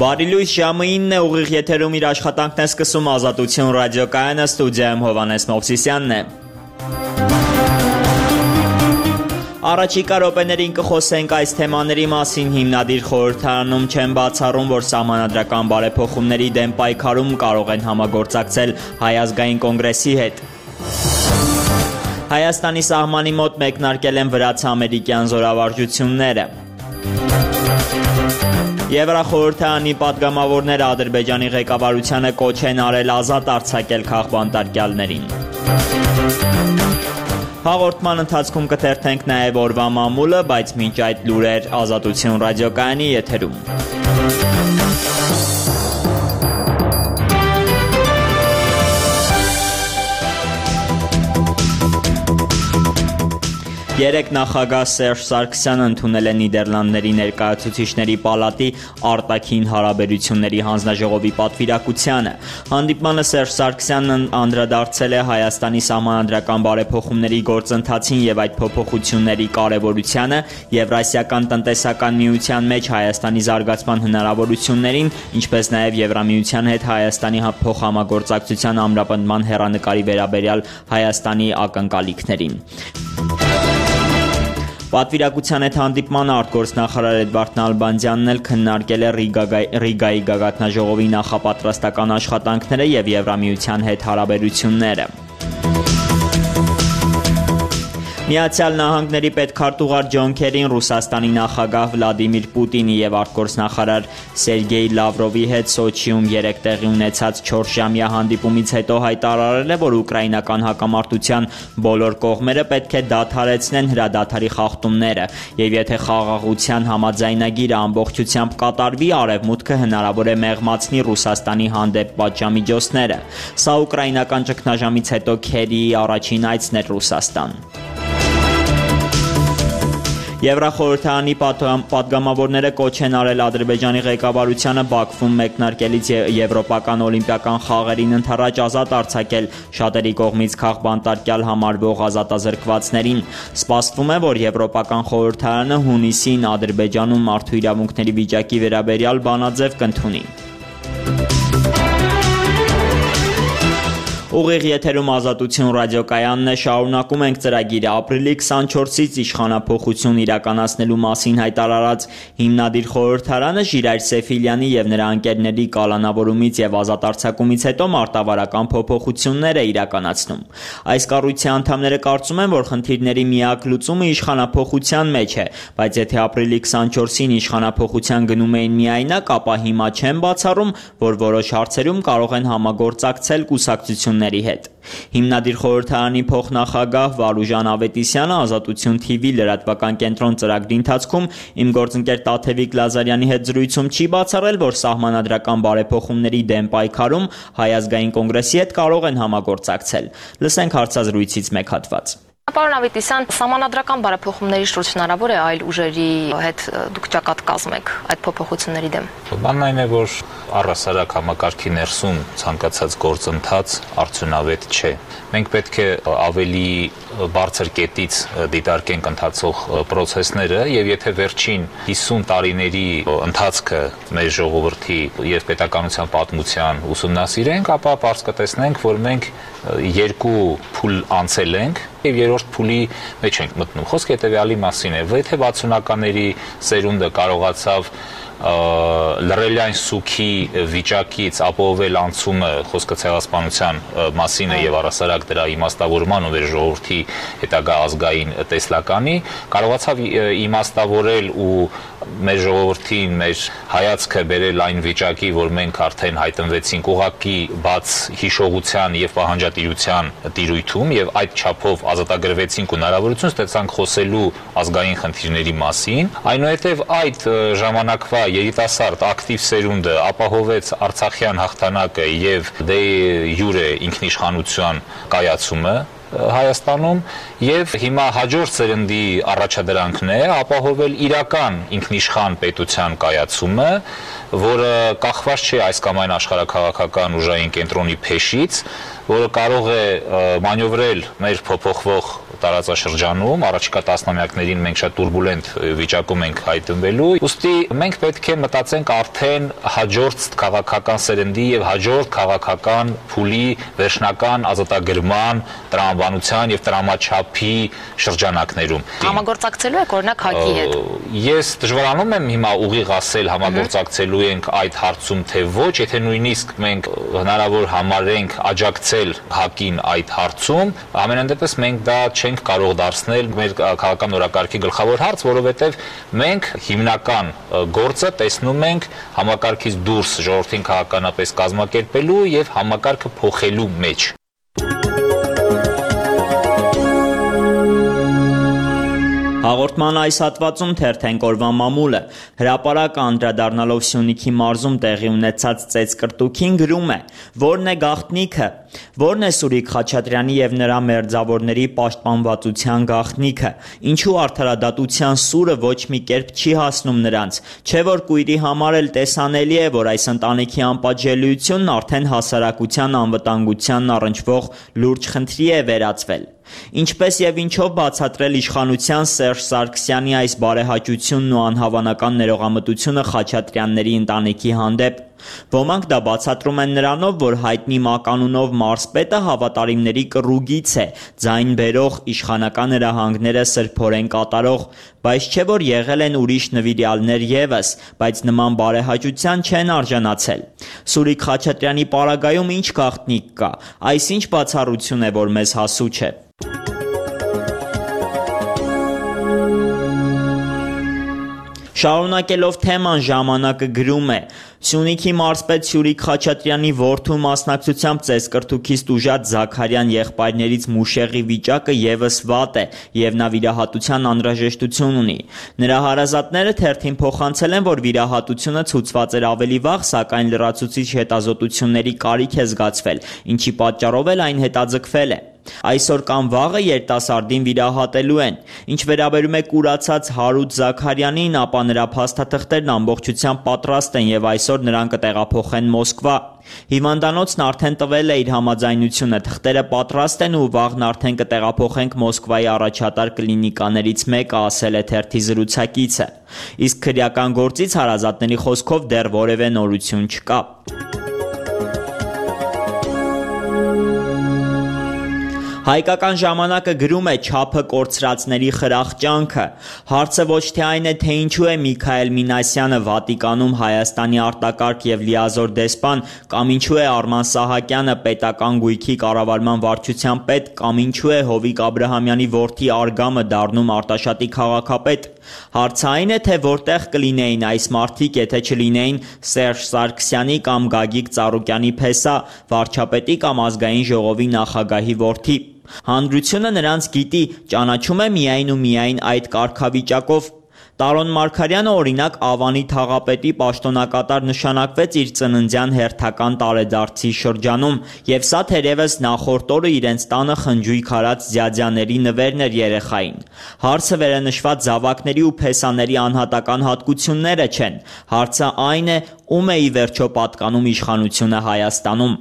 Բարի լույս, ժամը 9 է, ուղիղ եթերում իր աշխատանքն է սկսում Ազատություն ռադիոկայանը, ստուդիայում Հովհաննես Մովսիսյանն է։ Առաջիկա րոպեներին կխոսենք այս թեմաների մասին։ Հիմնադիր խորհրդարանում չեն բացառում, որ սահմանադրական բարեփոխումների դեմ պայքարում կարող են համագործակցել Հայ ազգային կոնգրեսի հետ։ Հայաստանի սահմանի մոտ մեկնարկել են վրաց-ամերիկյան զորավարժությունները։ Եվրախորհրդարանի պատգամավորները Ադրբեջանի ղեկավարությանը կոչ են արել ազատ արձակել քաղբանտարկյալներին։ Հաղորդման ընթացքում կթերթենք նաև օրվա մամուլը, բայց մինչ այդ լուրեր Ազատություն ռադիոկայանի եթերում։ Երեկ նախագահ Սերժ Սարգսյանը ընդունել է Նիդերլանդների ներկայացուցիչների պալատի արտաքին հարաբերությունների հանձնաժողովի պատվիրակությանը։ Հանդիպմանը Սերժ Սարգսյանն անդրադարձել է Հայաստանի սահմանադրական բարեփոխումների գործընթացին եւ այդ փոփոխությունների կարեւորությանը, Եվրասիական տնտեսական միության մեջ Հայաստանի զարգացման հնարավորություններին, ինչպես նաեւ Եվրամիության հետ Հայաստանի փոխհամագործակցության ամրապնդման հեռանկարի վերաբերյալ Հայաստանի ակնկալիքներին։ Պատվիրակության հետ հանդիպմանը արտգործնախարար Էդվարդ Նալբանդյանն էլ քննարկել է Ռիգայի գագաթնաժողովի նախապատրաստական աշխատանքները եւ Եվրամիության հետ հարաբերությունները։ Միացյալ Նահանգների պետքարտուղար Ջոն Քերին Ռուսաստանի նախագահ Վլադիմիր Պուտինի եւ արտգործնախարար Սերգեյ Լավրովի հետ Սոչիում երեկ տեղի ունեցած 4-ժամյա հանդիպումից հետո հայտարարել է, որ ուկրաինական հակամարտության բոլոր կողմերը պետք է դադարեցնեն հրադադարի խախտումները, եւ եթե խաղաղության համաձայնագիրը ամբողջությամբ կատարվի, Արևմուտքը հնարավոր է մեղմացնի Ռուսաստանի հանդեպ պատժամիջոցները։ Սա ուկրաինական ճգնաժամից հետո Քերիի առաջին այցն էր Ռուսաստան։ Եվրախորհրդարանի պատգամավորները կոչ են արել Ադրբեջանի ղեկավարությանը Բաքվում մեկնարկելից Եվրոպական օլիմպիական խաղերին ընդառաջ ազատ արձակել շատերի կողմից քաղբանտարկյալ համարվող ազատազրկվածներին։ Սպասվում է, որ Եվրոպական խորհրդարանը հունիսին Ադրբեջանում մարդու իրավունքների վիճակի վերաբերյալ բանաձև կընդունի։ Ուղիղ եթերում Ազատություն ռադիոկայանն է, շարունակում ենք ծրագիրը։ Ապրիլի 24-ից իշխանափոխություն իրականացնելու մասին հայտարարած հիմնադիր խորհրդարանը Ժիրայր Սեֆիլյանի եւ նրա ընկերների կալանավորումից եւ ազատ արձակումից հետո մարտավարական փոփոխություններ է իրականացնում։ Այս կառույցի անդամները կարծում են, որ խնդիրների միակ լուծումը իշխանափոխության մեջ է, բայց եթե ապրիլի 24-ին իշխանափոխության գնում էին միայնակ, ապա հիմա չեն բացառում, որ որոշ հարցերում կարող են համագործակցել կուսակցություն հետ։ Հիմնադիր խորհրդարանի փոխնախագահ Վարուժան Ավետիսյանը Ազատություն TV լրատվական կենտրոն ծրագրի ընթացքում իմ գործընկեր Տաթևիկ Լազարյանի հետ զրույցում չի բացառել, որ սահմանադրական բարեփոխումների դեմ պայքարում Հայ ազգային կոնգրեսի հետ կարող են համագործակցել։ Լսենք հարցազրույցից մեկ հատված։ Պարոն Ավետիսյան, սահմանադրական բարեփոխումների շուրջ հնարավոր է այլ ուժերի հետ դուք ճակատ կազմեք այդ փոփոխությունների դեմ։ Բանն այն է, որ առհասարակ համակարգի ներսում ցանկացած գործընթաց արդյունավետ չէ։ Մենք պետք է ավելի բարձր կետից դիտարկենք ընթացող process-ները եւ եթե վերջին 50 տարիների ընթացքը մեր ժողովրդի եւ պետականության պատմության ուսումնասիրենք, ապա պարզ կտեսնենք, որ մենք երկու փուլ անցել ենք եւ երրորդ փուլի մեջ ենք մտնում։ Խոսքը հետեւյալի մասին է, եթե 60-ականների սերունդը կարողացավ լրելյան սուքի վիճակից ապահովել անցումը, խոսքը ցեղասպանության մասին է եւ առասարակ դրա իմաստավորման ու ժողովրդի հետագա ազգային տեսլականի, կարողացավ իմաստավորել ու մեր ժողովրդին, մեր հայացքը բերել այն վիճակի, որ մենք արդեն հայտնվեցինք ուղղակի բաց հիշողության եւ պահանջատիրության տիրույթում եւ այդ չափով ազատագրվեցինք ու հնարավորություն ստացանք խոսելու ազգային խնդիրների մասին, այնուհետեւ այդ ժամանակվա երիտասարդ ակտիվ սերունդը ապահովեց Արցախյան հաղթանակը եւ դե յուրե ինքնիշխանության կայացումը Հայաստանում եւ հիմա հաջորդ սերնդի առաջադրանքն է ապահովել իրական ինքնիշխան պետության կայացումը, որը կախված չէ այս կամ այն աշխարհաքաղաքական ուժային կենտրոնի փեշից, որը կարող է մանյովրել մեր փոփոխվող տարածաշրջանում, առաջիկա տասնամյակներին մենք շատ турբուլենտ վիճակում ենք հայտնվելու։ Ուստի մենք պետք է մտածենք արդեն հաջորդ քաղաքական սերնդի եւ հաջորդ քաղաքական փուլի վերջնական ազատագրման, տրամաբանության եւ տրամաչափի շրջանակներում։ Համագործակցելու եք օրինակ ՀԱԿ-ի հետ։ Ես դժվարանում եմ հիմա ուղիղ ասել համագործակցելու ենք այդ հարցում թե ոչ, եթե նույնիսկ մենք հնարավոր համարենք աջակցել ՀԱԿ-ին այդ հարցում, ամենայն դեպս մենք դա չենք կարող դարձնել մեր քաղաքական օրակարգի գլխավոր հարց, որովհետև մենք հիմնական գործը տեսնում ենք համակարգից դուրս ժողովրդին քաղաքականապես կազմակերպելու եւ համակարգը փոխելու մեջ։ Հաղորդման այս հատվածում թերթենք օրվա մամուլը։ Հրապարակը անդրադառնալով Սյունիքի մարզում տեղի ունեցած ծեծկրտուքին գրում է. «Որն է գաղտնիքը, որն է Սուրիկ Խաչատրյանի եւ նրա մերձավորների պաշտպանվածության գաղտնիքը, ինչու արդարադատության սուրը ոչ մի կերպ չի հասնում նրանց, չէ որ կույրի համար էլ տեսանելի է, որ այս ընտանիքի անպատժելիությունն արդեն հասարակության անվտանգությանն առնչվող լուրջ խնդրի է վերածվել։ Ինչպես եւ ինչով բացատրել իշխանության Սերժ Սարգսյանի այս բարեհաճությունն ու անհավանական ներողամտությունը Խաչատրյանների ընտանիքի հանդեպ։ Ոմանք դա բացատրում են նրանով, որ հայտնի մականունով մարզպետը հավատարիմների կռուգից է, ձայն բերող, իշխանական հրահանգները սրբորեն կատարող, բայց չէ որ եղել են ուրիշ նվիրյալներ եւս, բայց նման բարեհաճության չեն արժանացել։ Սուրիկ Խաչատրյանի պարագայում ինչ գաղտնիք կա, այս ինչ բացառություն է, որ մեզ հասու չէ։ Շարունակելով թեման ժամանակը գրում է. Սյունիքի մարզպետ Սուրիկ Խաչատրյանի որդու մասնակցությամբ ծեծկրտուքից տուժած Զաքարյան եղբայրներից Մուշեղի վիճակը եւս վատ է եւ նա վիրահատության անհրաժեշտություն ունի։ Նրա հարազատները թերթին փոխանցել են, որ վիրահատությունը ցուցված էր ավելի վաղ, սակայն լրացուցիչ հետազոտությունների կարիք է զգացվել, ինչի պատճառով էլ այն հետաձգվել է։ Այսօր կամ վաղը երիտասարդին վիրահատելու են։ Ինչ վերաբերում է կուրացած Հարութ Զաքարյանին, ապա նրա փաստաթղթերն ամբողջությամբ պատրաստ են եւ այսօր նրան կտեղափոխեն Մոսկվա։ Հիվանդանոցն արդեն տվել է իր համաձայնությունը, թղթերը պատրաստ են ու վաղն արդեն կտեղափոխենք Մոսկվայի առաջատար կլինիկաներից մեկը, ասել է թերթի զրուցակիցը։ Իսկ քրեական գործից հարազատների խոսքով դեռ որևէ նորություն չկա։ Հայկական ժամանակը գրում է չափը կորցրածների խրախճանքը։ Հարցը ոչ թե այն է, թե ինչու է Միքայել Մինասյանը Վատիկանում Հայաստանի արտակարգ եւ լիազոր դեսպան, կամ ինչու է Արման Սահակյանը պետական գույքի կառավարման վարչության պետ, կամ ինչու է Հովիկ Աբրահամյանի որդի Արգամը դառնում Արտաշատի քաղաքապետ։ Հարցը այն է, թե որտեղ կլինեին այս մարդիկ, եթե չլինեին Սերժ Սարգսյանի կամ Գագիկ Ծառուկյանի փեսա, վարչապետի կամ ազգային ժողովի նախագահի որդի։ Հանրությունը նրանց գիտի, ճանաչում է միայն ու միայն այդ կարգավիճակով։ Տարոն Մարգարյանը օրինակ Ավանի թաղապետի պաշտոնակատար նշանակվեց իր ծննդյան հերթական տարեդարձի շրջանում, եւ սա թերևս նախորդ օրը իրենց տանը խնջույք արած ձյաձյաների նվերն էր երեխային։ Հարցը վերանշված զավակների ու փեսաների անհատական հատկությունները չեն։ Հարցը այն է, ում է ի վերջո պատկանում իշխանությունը Հայաստանում։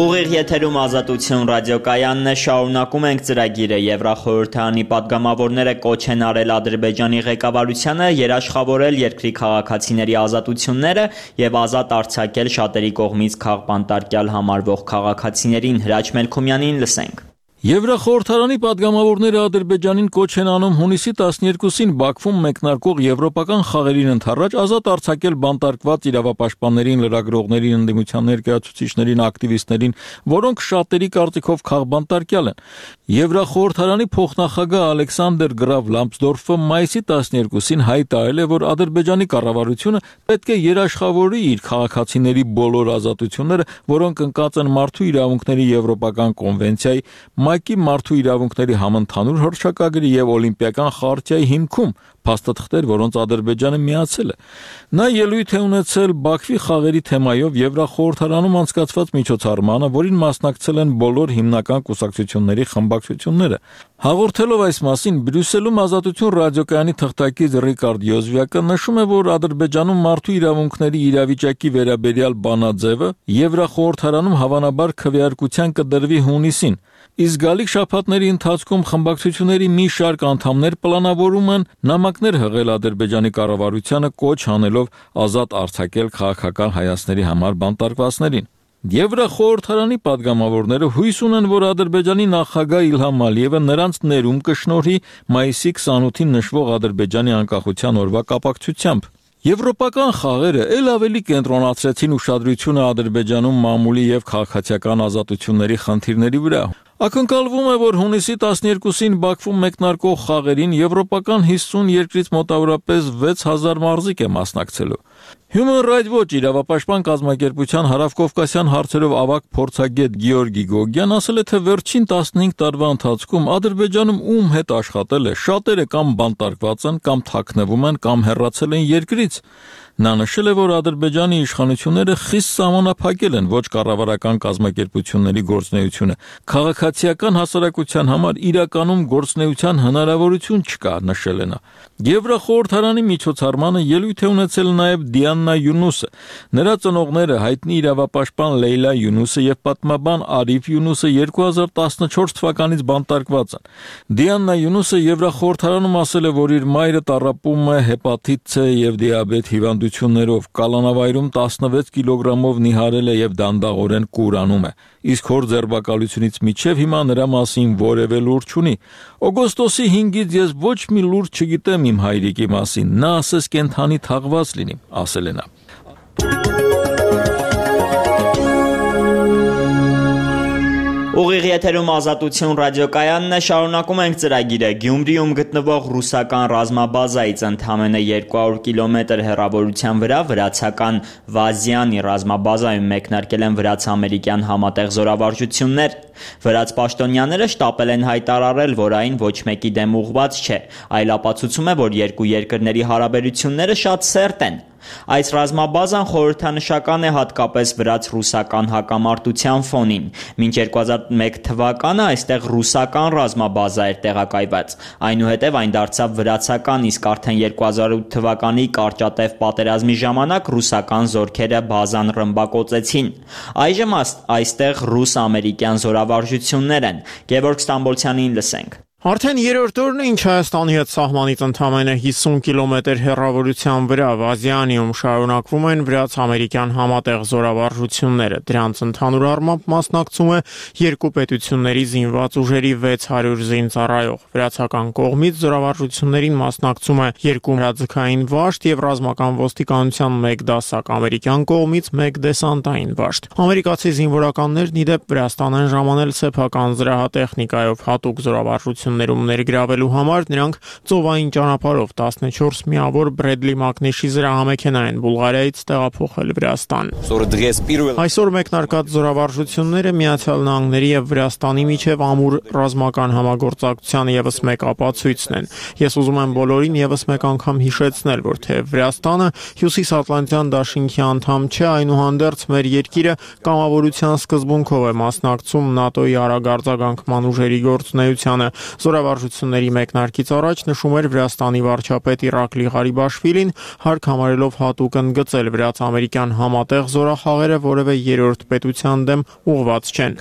Ուղիղ եթերում Ազատություն ռադիոկայանն է, շարունակում ենք ծրագիրը։ Եվրախորհրդարանի պատգամավորները կոչ են արել Ադրբեջանի ղեկավարությանը երաշխավորել երկրի քաղաքացիների ազատությունները եւ ազատ արձակել շատերի կողմից քաղբանտարկյալ համարվող քաղաքացիներին։ Հրաչ Մելքումյանին լսենք։ Եվրախորհրդարանի պատգամավորները Ադրբեջանին կոչ են անում հունիսի 12-ին Բաքվում մեկնարկող եվրոպական խաղերին ընդառաջ ազատ արձակել բանտարկված իրավապաշտպաններին, լրագրողներին, ընդդիմության ներկայացուցիչներին, ակտիվիստներին, որոնք շատերի կարծիքով քաղբանտարկյալ են։ Եվրախորհրդարանի փոխնախագահ Ալեքսանդր Գրավ Լամպսդորֆը մայիսի 12-ին հայտարարել է, որ Ադրբեջանի կառավարությունը պետք է երաշխավորի իր քաղաքացիների բոլոր ազատությունները, որոնք ընկած են Մարդու իրավունքների եվրոպական կոնվենցիայի, ՄԱԿ-ի մարդու իրավունքների համընդհանուր հռչակագրի եւ Օլիմպիական խարտիայի հիմքում փաստաթղթեր, որոնց Ադրբեջանը միացել է։ Նա ելույթ է ունեցել Բաքվի խաղերի թեմայով Եվրախորհրդարանում անցկացված միջոցառմանը, որին մասնակցել են բոլոր հիմնական կուսակցությունների խմբակցությունները։ Հաղորդելով այս մասին Բրյուսելում Ազատություն ռադիոկայանի թղթակից Ռիկարդ Յոզվիակը նշում է, որ Ադրբեջանում մարդու իրավունքների իրավիճակի վերաբերյալ բանաձևը Եվրախորհրդարանում հավանաբար քվեարկության կդրվի հունիսին։ Իսկ գալիք շաբաթների ընթացքում խմբակցությունների մի շարք անդամներ պլանավորում են նամակներ հղել Ադրբեջանի կառավարությանը կոչ անելով ազատ արձակել քաղաքական հայացքների համար բանտարկվածներին։ Եվրախորհրդարանի падգամավորները հույս ունեն, որ Ադրբեջանի նախագահ Իլհամ Ալիևը նրանց ներում կշնորհի մայիսի 28-ին նշվող Ադրբեջանի անկախության օրվա կապակցությամբ։ Եվրոպական խաղերը ել ավելի կենտրոնացրեցին ուշադրությունը Ադրբեջանում մամուլի եւ քաղաքացիական ազատությունների խնդիրների վրա։ Ակնկալվում է, որ հունիսի 12-ին Բաքվում մեկնարկող խաղերին եվրոպական 50 երկրից մոտավորապես 6000 մարզիկ է մասնակցելու։ Human Rights Watch իրավապաշտպան կազմակերպության հարավկովկասյան հարցերով ավագ փորձագետ Գեորգի Գոգյան ասել է, թե վերջին 15 տարվա ընթացքում Ադրբեջանում ում հետ աշխատել է, շատերը կամ բանտարկված են, կամ թաքնվում են, կամ հեռացել են երկրից։ Նա նշել է, որ Ադրբեջանի իշխանությունները խիստ սահմանափակել են ոչ կառավարական կազմակերպությունների գործունեությունը։ Քաղաքացիական հասարակության համար իրականում գործունեության հնարավորություն չկա, նշել է նա։ Եվրախորհրդարանի միջոցառմանը ելույթ է ունեցել նաև Դիաննա Յունուսը։ Նրա ծնողները հայտնի իրավապաշտպան Լեյլա Յունուսը եւ պատմաբան Արիֆ Յունուսը 2014 թվականից բանտարկված են։ Դիաննա Յունուսը Եվրախորհրդարանում ասել է, որ իր մայրը տառապում է հեպատիտ C եւ դիաբետ հիվանդություններով, կալանավայրում 16 կիլոգրամով նիհարել է եւ դանդաղորեն կուրանում է։ Իսկ հոր ձերբակալությունից մինչև հիմա նրա մասին որևէ լուր չունի։ Օգոստոսի 5-ից ես ոչ մի լուր չգիտեմ իմ հայրիկի մասին։ Նա ասես կենթանի թաղված լինի, ասել է նա։ Ուղիղ եթերում Ազատություն ռադիոկայանն է, շարունակում ենք ծրագիրը։ Գյումրիում գտնվող ռուսական ռազմաբազայից ընդամենը 200 կիլոմետր հեռավորության վրա վրացական Վազյանի ռազմաբազայում մեկնարկել են վրաց-ամերիկյան համատեղ զորավարժություններ։ Վրաց պաշտոնյաները շտապել են հայտարարել, որ այն ոչ մեկի դեմ ուղղված չէ, այլ ապացուցում է, որ երկու երկրների հարաբերությունները շատ սերտ են։ Այս ռազմաբազան խորհրդանշական է հատկապես վրաց-ռուսական հակամարտության ֆոնին։ Մինչ 2001 թվականը այստեղ ռուսական ռազմաբազա էր տեղակայված։ Այնուհետև այն դարձավ վրացական, իսկ արդեն 2008 թվականի կարճատև պատերազմի ժամանակ ռուսական զորքերը բազան ռմբակոծեցին։ Այժմ այստեղ ռուս-ամերիկյան զորավարժություններ են։ Գևորգ Ստամբոլցյանին լսենք։ Արդեն երրորդ օրն է, ինչ Հայաստանի հետ սահմանից ընդամենը 50 կիլոմետր հեռավորության վրա Վազյանում շարունակվում են վրաց-ամերիկյան համատեղ զորավարժությունները։ Դրանց ընդհանուր առմամբ մասնակցում է երկու պետությունների զինված ուժերի 600 զինծառայող։ Վրացական կողմից զորավարժություններին մասնակցում է երկու հրաձգային վաշտ եւ ռազմական ոստիկանության 1 դասակ, ամերիկյան կողմից 1 դեսանտային վաշտ։ Ամերիկացի զինվորականներն ի դեպ Վրաստան են ժամանել սեփական զրահատեխնիկայով հատուկ զորավարժություն ներգրավելու համար նրանք ծովային ճանապարհով 14 միավոր Բրեդլի Մակնիշի զրահամեքենա են Բուլղարիայից տեղափոխել Վրաստան։ Այսօր մեկնարկած զորավարժությունները Միացյալ Նահանգների եւ Վրաստանի միջև ամուր ռազմական համագործակցության եւս մեկ ապացույցն են։ Ես ուզում եմ բոլորին եւս մեկ անգամ հիշեցնել, որ թե Վրաստանը Հյուսիսատլանտյան դաշինքի անդամ չէ, այնուհանդերձ մեր երկիրը կամավորության սկզբունքով է մասնակցում ՆԱՏՕ-ի արագարձագանքման ուժերի գործունեությանը։ Զորավարժությունների մեկնարկից առաջ նշում էր Վրաստանի վարչապետ Իրակլի Ղարիբաշվիլին, հարկ համարելով հատուկ ընդգծել վրաց-ամերիկյան համատեղ զորախաղերը որևէ երրորդ պետության դեմ ուղղված չեն։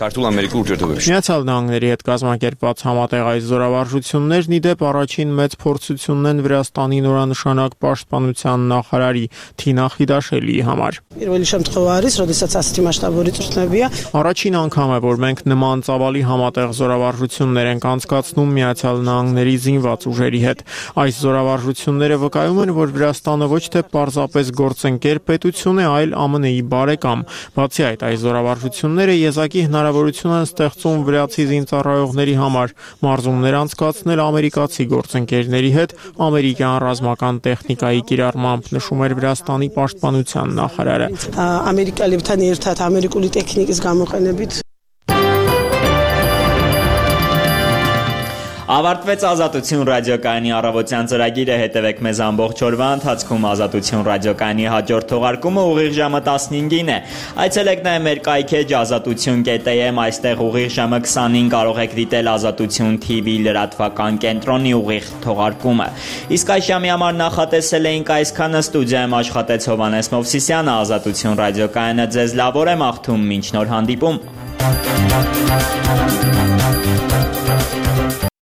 Միացյալ Նահանգների հետ կազմակերպված համատեղ այս զորավարժություններն ի դեպ առաջին մեծ փորձությունն են Վրաստանի նորանշանակ պաշտպանության նախարարի Թինա Խիդաշելիի համար։ Առաջին անգամ է, որ մենք նման ծավալի համատեղ զորավարժություններ ենք անցկացնում Միացյալ Նահանգների զինված ուժերի հետ։ Այս զորավարժությունները վկայում են, որ Վրաստանը ոչ թե պարզապես գործընկեր պետություն է, այլ ԱՄՆ-ի բարեկամ։ Բացի այդ, այս զորավարժությունները եզակի հնարավորություն են ստեղծում վրացի զինծառայողների համար մարզումներ անցկացնել ամերիկացի գործընկերների հետ ամերիկյան ռազմական տեխնիկայի կիրառմամբ, նշում էր Վրաստանի պաշտպանության նախարարը։ Ամերիկալիբთან ერთად ամերիկული տեխնიკის გამოყენებით Ավարտվեց Ազատություն ռադիոկայանի առավոտյան ծրագիրը, հետևեք մեզ ամբողջ օրվա ընթացքում։ Ազատություն ռադիոկայանի հաջորդ թողարկումը ուղիղ ժամը 15-ին է։ Այցելեք նաև մեր կայքեջ azatutun.am, այստեղ ուղիղ ժամը 20-ին կարող եք դիտել Ազատություն TV լրատվական կենտրոնի ուղիղ թողարկումը։ Իսկ այս ժամի համար նախատեսել էինք այսքանը, ստուդիայում աշխատեց Հովհաննես Մովսիսյանը, Ազատություն ռադիոկայանը ձեզ լավ օր է մաղթում, մինչ նոր հանդիպում։